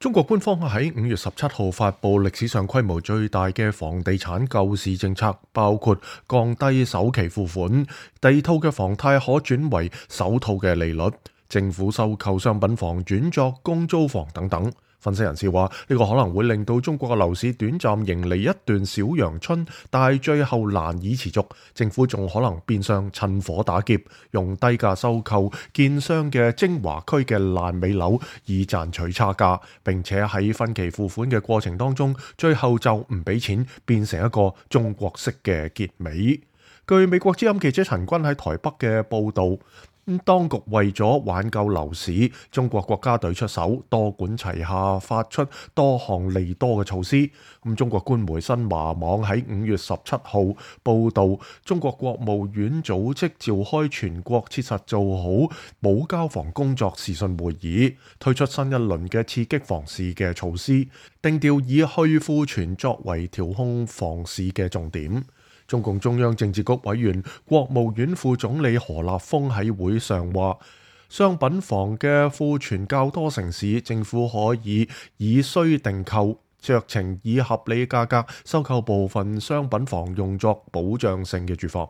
中國官方喺5月17號發布歷史上規模最大嘅房地產救市政策，包括降低首期付款、第二套嘅房貸可轉為首套嘅利率、政府收購商品房轉作公租房等等。分析人士話，呢個可能會令到中國嘅樓市短暫迎嚟一段小陽春，但係最後難以持續。政府仲可能變相趁火打劫，用低價收購建商嘅精華區嘅爛尾樓，以賺取差價，並且喺分期付款嘅過程當中，最後就唔俾錢，變成一個中國式嘅結尾。據美國之音記者陳君喺台北嘅報導，當局為咗挽救樓市，中國國家隊出手，多管齊下，發出多項利多嘅措施。中國官媒新華網喺5月17號報導，中國國務院組織召開全國切實做好保交房工作視訊會議，推出新一輪嘅刺激房市嘅措施，定調以去庫存作為調控房市嘅重點。中共中央政治局委員、國務院副總理何立峰喺會上話，商品房嘅庫存較多城市，政府可以以需定購，酌情以合理價格收購部分商品房，用作保障性嘅住房。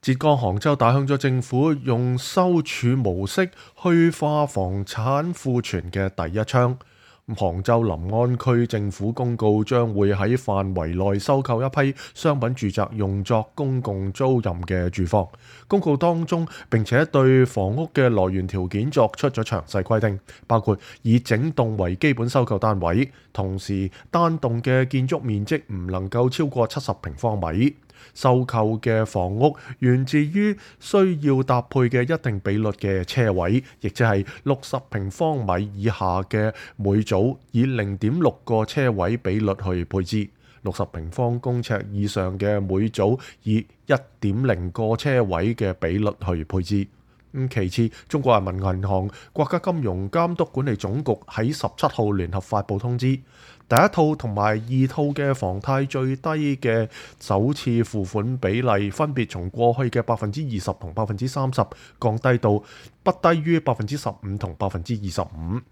浙江杭州打響咗政府用收儲模式去化房產庫存嘅第一槍。杭州臨安區政府公告將會喺範圍內收購一批商品住宅，用作公共租賃嘅住房。公告當中並且對房屋嘅來源條件作出咗詳細規定，包括以整棟為基本收購單位，同時單棟嘅建築面積唔能夠超過70平方米。收購嘅房屋源自於需要搭配嘅一定比率嘅車位，亦即係60平方米以下嘅每組以0.6個車位比率去配置，60平方公尺以上嘅每組以1.0個車位嘅比率去配置。其次，中國人民銀行、國家金融監督管理總局喺17號聯合發布通知，第一套同埋二套嘅房貸最低嘅首次付款比例分別從過去嘅20%同30%降低到不低於15%同25%。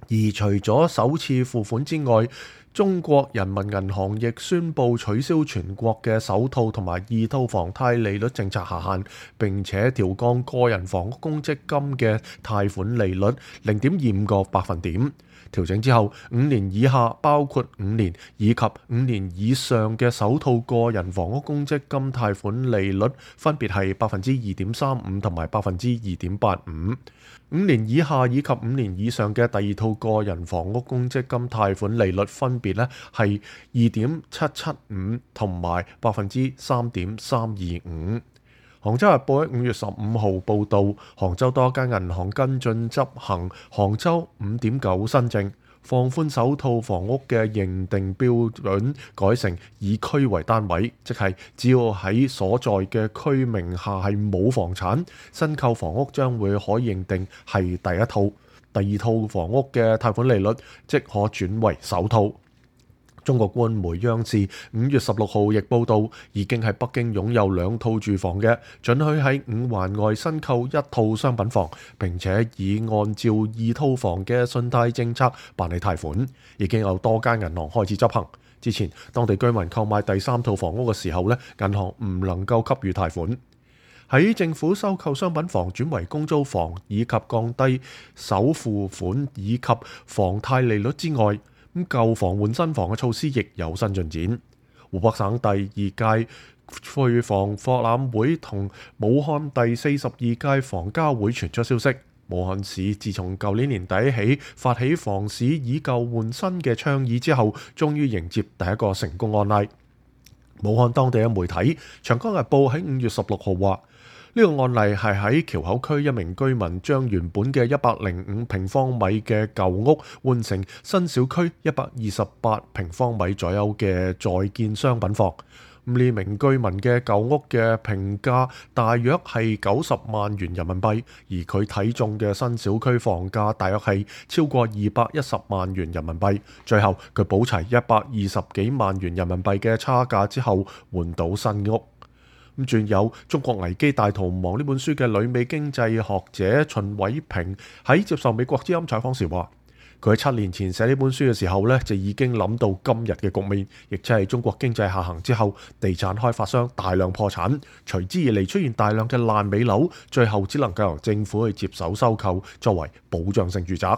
而除咗首次付款之外，中國人民銀行亦宣布取消全國嘅首套同埋二套房貸利率政策下限，並且調降個人房屋公積金嘅貸款利率0.25個百分點。調整之後，5年以下包括5年以及5年以上嘅首套個人房屋公積金貸款利率分別係2.35%同埋2.85%。5年以下以及5年以上嘅第二套個人房屋公積金貸款利率分別係2.775%同埋3.325%。杭州日報喺5月15號報導，杭州多間銀行跟進執行杭州5.9新政，放寬首套房屋嘅認定標準，改成以區為單位，即係只要喺所在嘅區名下係冇房產，新購房屋將會可認定係第一套，第二套房屋嘅貸款利率即可轉為首套。中國官媒央視5月16號亦報導，已經喺北京擁有2套住房嘅，准許喺5環外新購1套商品房，並且已按照2套房嘅信貸政策辦理貸款，已經有多間銀行開始執行。之前當地居民購買第3套房屋嘅時候銀行唔能夠給予貸款。喺政府收購商品房轉為公租房，以及降低首付款以及房貸利率之外，舊房換新房嘅措施亦有新進展。湖北省第2屆住房博覽會同武漢第42屆房交會傳出消息，武漢市自從舊年年底起發起房市以舊換新嘅倡議之後，終於迎接第一個成功案例。武漢當地嘅媒體《長江日報》喺5月16號話，呢個案例係喺橋口區一名居民將原本嘅105平方米嘅舊屋換成新小區128平方米左右嘅在建商品房。呢名居民嘅舊屋嘅評價大約係90萬元人民幣，而佢睇中嘅新小區房價大約係超過210萬元人民幣。最後佢補齊120幾萬元人民幣嘅差價之後，換到新屋。仲有《中國危機大逃亡》呢本書嘅旅美經濟學者秦偉平喺接受美國之音採訪時話，佢喺7年前寫呢本書嘅時候呢，就已經諗到今日嘅局面，亦即係中國經濟下行之後，地產開發商大量破產，隨之而嚟出現大量嘅爛尾樓，最後只能夠由政府去接手收購，作為保障性住宅。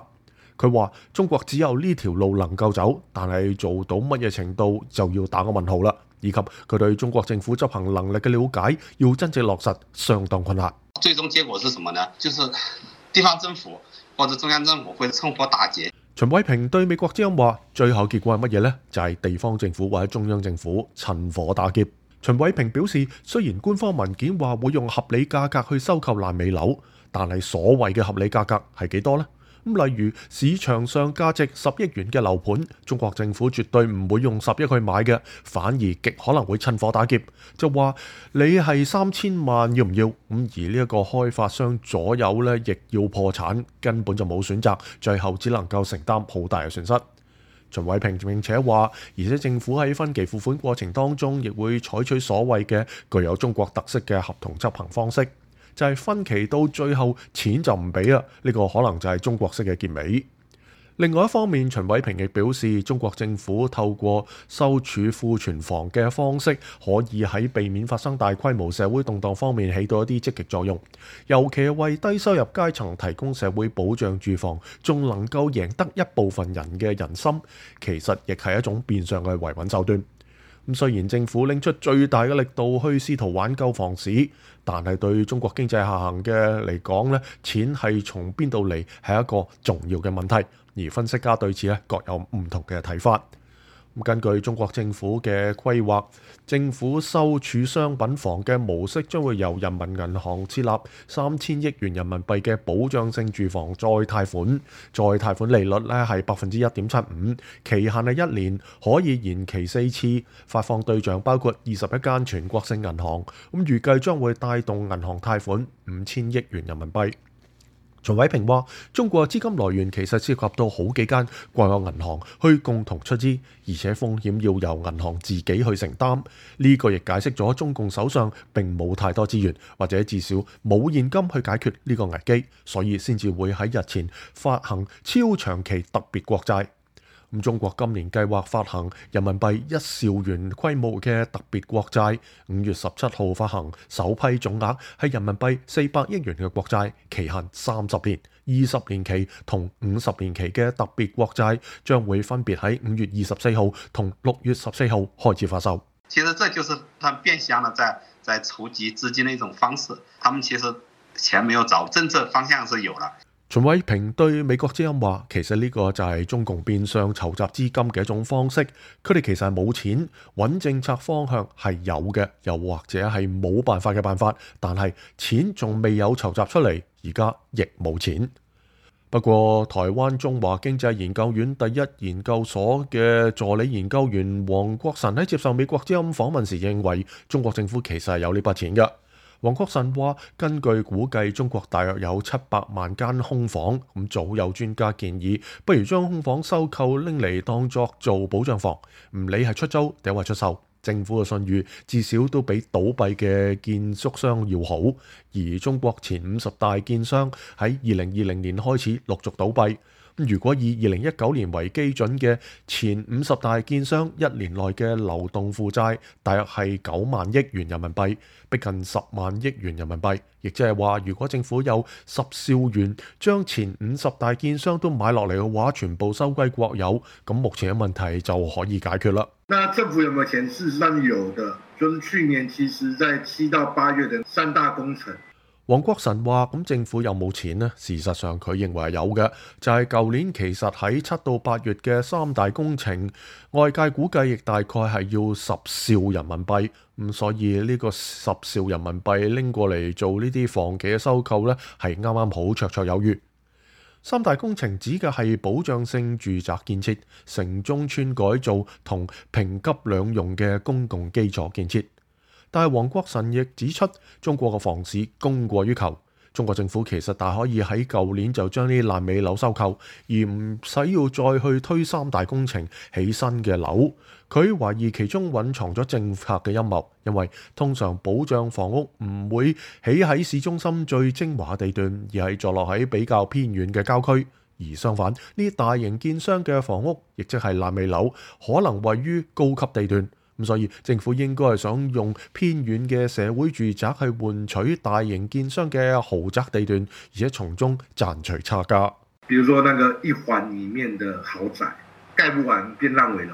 佢話中國只有呢條路能夠走，但係做到乜嘢程度就要打個問號啦。以及佢對中國政府執行能力嘅了解，要真正落實相當困難。最終結果是什麼呢？就是地方政府或者中央政府會趁火打劫。秦偉平對美國之音話：最後結果係乜嘢呢？就係地方政府或者中央政府趁火打劫。秦偉平表示，雖然官方文件話會用合理價格去收購爛尾樓，但係所謂嘅合理價格係幾多呢？例如市場上價值10億元嘅樓盤，中國政府絕對唔會用10億去買嘅，反而極可能會趁火打劫，就話你係3000萬要唔要？而呢一個開發商左右呢，亦要破產，根本就冇選擇，最後只能夠承擔好大嘅損失。秦偉平並且話，而且政府喺分期付款過程當中，亦會採取所謂嘅具有中國特色嘅合同執行方式。就係分期到最後錢就唔俾啦，呢個可能就係中國式嘅結尾。另外一方面，秦偉平亦表示，中國政府透過收儲庫存房嘅方式，可以喺避免發生大規模社會動盪方面起到一啲積極作用，尤其係為低收入階層提供社會保障住房，仲能夠贏得一部分人嘅人心，其實亦係一種變相嘅維穩手段。咁雖然政府拎出最大嘅力度去試圖挽救房市，但係對中國經濟下行嘅嚟講咧，錢係從邊度嚟係一個重要嘅問題。而分析家對此咧各有唔同嘅睇法。根據中國政府嘅規劃，政府收儲商品房嘅模式將會由人民銀行設立3000億元人民幣嘅保障性住房再貸款，再貸款利率咧係1.75%，期限係1年，可以延期4次，發放對象包括21間全國性銀行，預計將會帶動銀行貸款5000億元人民幣。秦偉平話：中國資金來源其實涉及到好幾間國有銀行去共同出資，而且風險要由銀行自己去承擔。呢個亦解釋咗中共手上並冇太多資源，或者至少冇現金去解決呢個危機，所以先至會喺日前發行超長期特別國債。中國今年計劃發行人民幣1兆元規模嘅特別國債，5月17號發行首批總額係人民幣400億元嘅國債，期限30年、20年期同50年期嘅特別國債將會分別喺5月24號同6月14號開始發售。其實這就是他變相的在籌集資金的一種方式，他們其實錢沒有找，政策方向是有了。秦偉平對美國之音話：其實呢個就係中共變相籌集資金嘅一種方式，佢哋其實係冇錢，揾政策方向係有嘅，又或者係冇辦法嘅辦法，但係錢仲未有籌集出嚟，而家亦冇錢。不過，台灣中華經濟研究院第一研究所嘅助理研究員黃國臣喺接受美國之音訪問時認為，中國政府其實係有呢筆錢嘅。黃國臣話：根據估計，中國大約有700萬間空房，早有專家建議，不如將空房收購拎嚟當作做保障房，唔理係出租定係出售，政府嘅信譽至少都比倒閉嘅建築商要好。而中國前50大建商喺2020年開始陸續倒閉。如果以2019年為基準嘅前50大建商1年內嘅流動負債大約係9萬億元人民幣，逼近10萬億元人民幣，亦即係話，如果政府有10兆元將前50大建商都買落嚟嘅話，全部收歸國有，咁目前嘅問題就可以解決啦。那政府有冇錢？事實上有的，就是去年其實在7到8月的3大工程。黃國臣話：咁政府有冇錢呢？事實上佢認為係有嘅，就係舊年其實喺7到8月嘅3大工程，外界估計亦大概係要10兆人民幣。所以呢個10兆人民幣拎過嚟做呢啲房企嘅收購呢，係啱啱好綽綽有餘。3大工程指嘅係保障性住宅建設、城中村改造同平急兩用嘅公共基礎建設。但係黃國臣亦指出，中國嘅房市供過於求，中國政府其實大可以喺舊年就將呢啲爛尾樓收購，而唔使要再去推3大工程起新嘅樓。佢懷疑其中隱藏咗政策嘅陰謀，因為通常保障房屋唔會起喺市中心最精華地段，而係坐落喺比較偏遠嘅郊區。而相反，呢啲大型建商嘅房屋，亦即係爛尾樓，可能位於高級地段。咁所以政府應該係想用偏遠嘅社會住宅去換取大型建商嘅豪宅地段，而且從中賺取差價。比如說那個一環裡面的豪宅蓋不完變爛尾樓。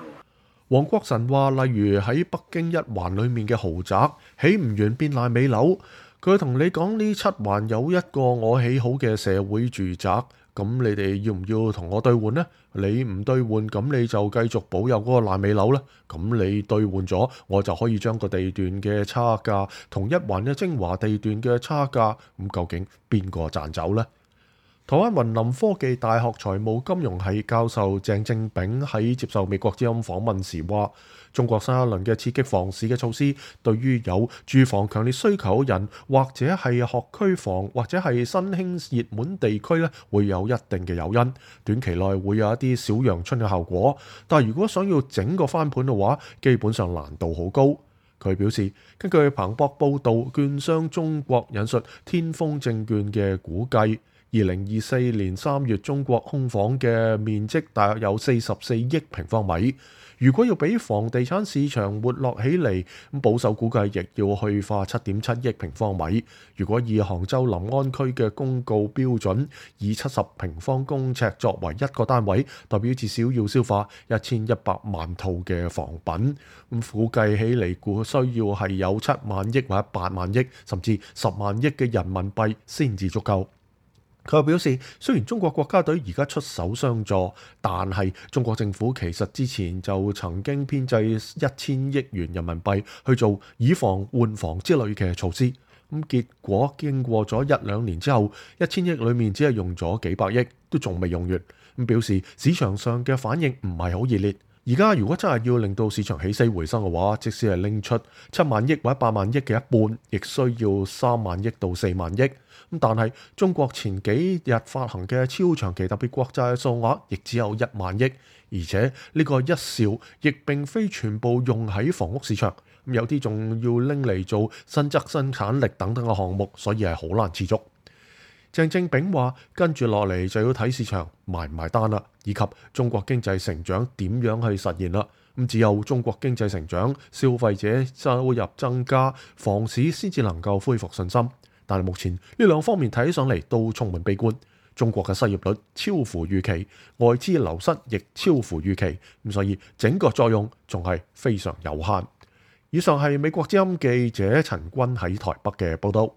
黃國臣話，例如喺北京一環裡面嘅豪宅起唔完變爛尾樓，佢同你講呢七環有一個我起好嘅社會住宅，咁你哋要唔要同我兌換呢？你唔兌換，咁你就繼續保有嗰個爛尾樓啦。咁你兌換咗，我就可以將個地段嘅差價同一環嘅精華地段嘅差價，咁究竟邊個賺走呢？台灣雲林科技大學財務金融系教授鄭正炳喺接受美國之音訪問時話，中國新一輪嘅刺激房市嘅措施，對於有住房強烈需求嘅人，或者係學區房，或者係新興熱門地區咧，會有一定嘅誘因，短期內會有一啲小陽春嘅效果。但係如果想要整個翻盤嘅話，基本上難度好高。佢表示，根據彭博報導，券商中國引述天風證券嘅估計，2024年3月中國空房嘅面積大約有44億平方米。如果要俾房地產市場活絡起嚟，咁保守估計亦要去化7.7億平方米。如果以杭州臨安區嘅公告標準，以70平方公尺作為一個單位，代表至少要消化1100萬套嘅房品。咁估計起嚟，估需要係有7萬億或者8萬億，甚至10萬億嘅人民幣先至足夠。佢又表示，雖然中國國家隊而家出手相助，但係中國政府其實之前就曾經編製1000億元人民幣去做以房換房之類嘅措施。咁結果經過咗1-2年之後，1000億裡面只係用咗幾百億，都仲未用完。咁表示市場上嘅反應唔係好熱烈。而家如果真係要令到市場起死回生嘅話，即使係拎出7萬億或者8萬億嘅一半，亦需要3萬億到4萬億。咁但係中國前幾日發行嘅超長期特別國債數額亦只有1萬億，而且呢個1兆亦並非全部用喺房屋市場，有啲仲要拎嚟做新增生產力等等嘅項目，所以係好難持續。鄭正炳話：跟住落嚟就要睇市場埋唔埋單啦，以及中國經濟成長點樣去實現啦。咁只有中國經濟成長、消費者收入增加，房市先至能夠恢復信心。但係目前呢兩方面睇起上嚟都充滿悲觀。中國嘅失業率超乎預期，外資流失亦超乎預期，咁所以整個作用仲係非常有限。以上係美國之音記者陳君喺台北嘅報道。